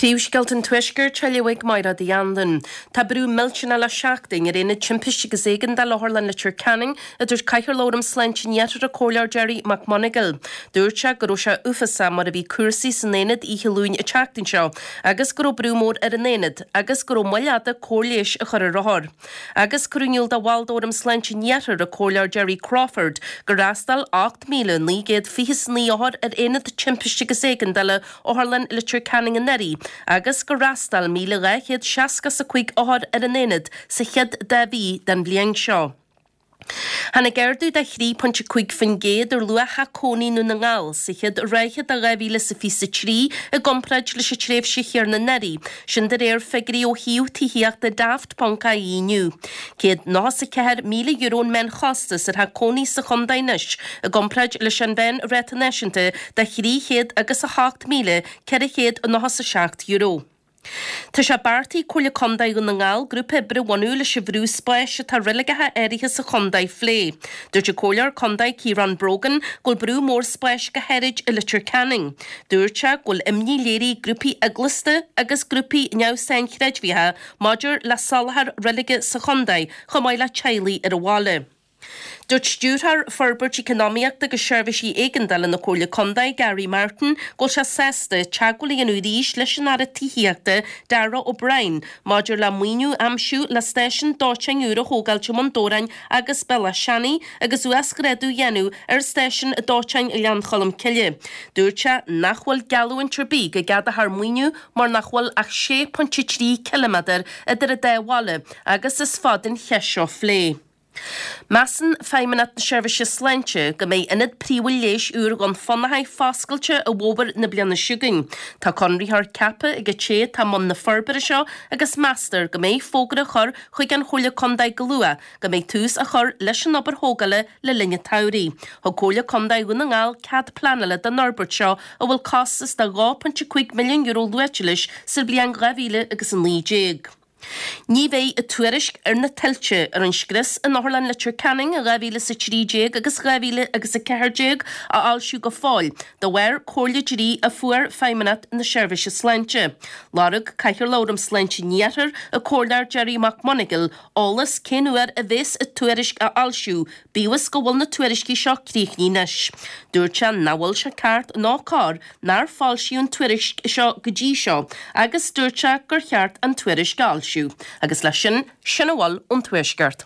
Príomhscéalta an Tuaiscirt á léamh ag Máire Uí Anluain. Tá brú millteanach le seachtain ar Aonad Timpiste agus Éigeandála Otharlann Leitir Ceanainn, a dúirt Cathaoirleach Fhóram Sláinte an Iarthair, an Comhairleoir Gerry McMonagall. Dúirt sé go raibh sé uafásach mar a bhí cúrsaí san aonad oíche Luain an tseachtain seo agus go raibh brú mór ar an aonad agus go raibh moill fhada cóir leighis a chur ar othair. Agus cuireadh in iúl do bhall d'Fhóram Sláinte an Iarthair, an Comhairleoir Gerry Crawford, gur fhreastail 8,929 othar ar Aonad Timpiste agus Éigeandála Otharlann Leitir Ceanainn anuraidh agus gur fhreastail 1,265 othar ar an aonad sa chéad dá mhí den bhliain seo. Tháinig ardú de 3.5% ar luach theach cónaí i nDún na nGall sa chéad ráithe de 2023 i gcomparáid leis an tréimhse chéanna anuraidh, sin de réir figiúirí ó shuíomh tithíochta Daft.ie inniu. €194,000 an meánchostas ar theach cónaí sa chontae anois i gcomparáid leis an mheánráta náisiúnta de €308,497. Tá sé beartaithe ag Comhairle Contae Dhún na nGall grúpa oibre a bhunú leis an bhrú spáis atá ar reiligeacha áirithe sa chontae a phlé. Dúirt an Comhairleoir Contae Ciarán Brogan go bhfuil brú mór spáis go háirid i Leitir Ceanainn. Dúirt sé go bhfuil imní léirithe ag grúpaí eaglasta agus grúpaí neamh-sainchreidmheacha maidir le soláthar reilige sa chontae chomh maith le teaghlaigh ar an bhaile. Dúirt Stiúrthóir Forbairt Econámaíochta agus Seirbhísí Éigeandála na Comhairle Contae, Gary Martin, go bhfuil sé sásta teagmháil a dhéanamh arís leis an Aire Tithíochta, Darragh O'Brien, maidir le maoiniú a aimsiú le stáisiún dóiteáin úr a thógáilt i mBun Dobhráin agus Bealach Seanaidh agus uasghrádú a dhéanamh ar stáisiún dóiteáin Ghleann Cholm Cille. Dúirt sé nach bhfuil geallúint ar bith go gceadófar maoiniú mar nach bhfuil ach 6.3 ciliméadar idir an dá bhaile agus is fada an cheist seo á phlé. Measann Feidhmeannacht na Seirbhíse Sláinte go mbeidh Ionad Príomhúil Leighis úr Dhún Fionnachaidh foscailte i bhfómhar na bliana seo chugainn. Tá conraitheoir ceaptha ag an té atá i mbun na forbartha seo agus meastar go mbeidh fógra á chur chuig an Chomhairle Contae go luath go mbeidh tús á chur leis an obair thógála le linn an tsamhraidh. Thug Comhairle Contae Dhún na nGall cead pleanála don fhorbairt seo a bhfuil costas de €2.5 milliún luaite leis sa bhliain 2019. Ní bheidh an tuairisc ar na tuilte, ar an scrios in Otharlann Leitir Ceanainn in 2013 agus 2014 á fhoilsiú go fóill, de bharr comhairle dlí a fuair Feidhmeannacht na Seirbhíse Sláinte. Lorg Cathaoirleach Fhóram Sláinte an Iarthair, an Comhairleoir Gerry McMonagall, eolas cén uair a bheas an tuairisc á fhoilsiú, bíodh is go bhfuil na tuairiscí seo críochnaithe anois. Dúirt sé nach bhfuil sé ceart ná cóir nár foilsíodh an tuairisc seo go dtí seo agus dúirt sé gur cheart an tuairisc a fhoilsiú. Agus leis sin, sin a bhfuil ón Tuaisceart.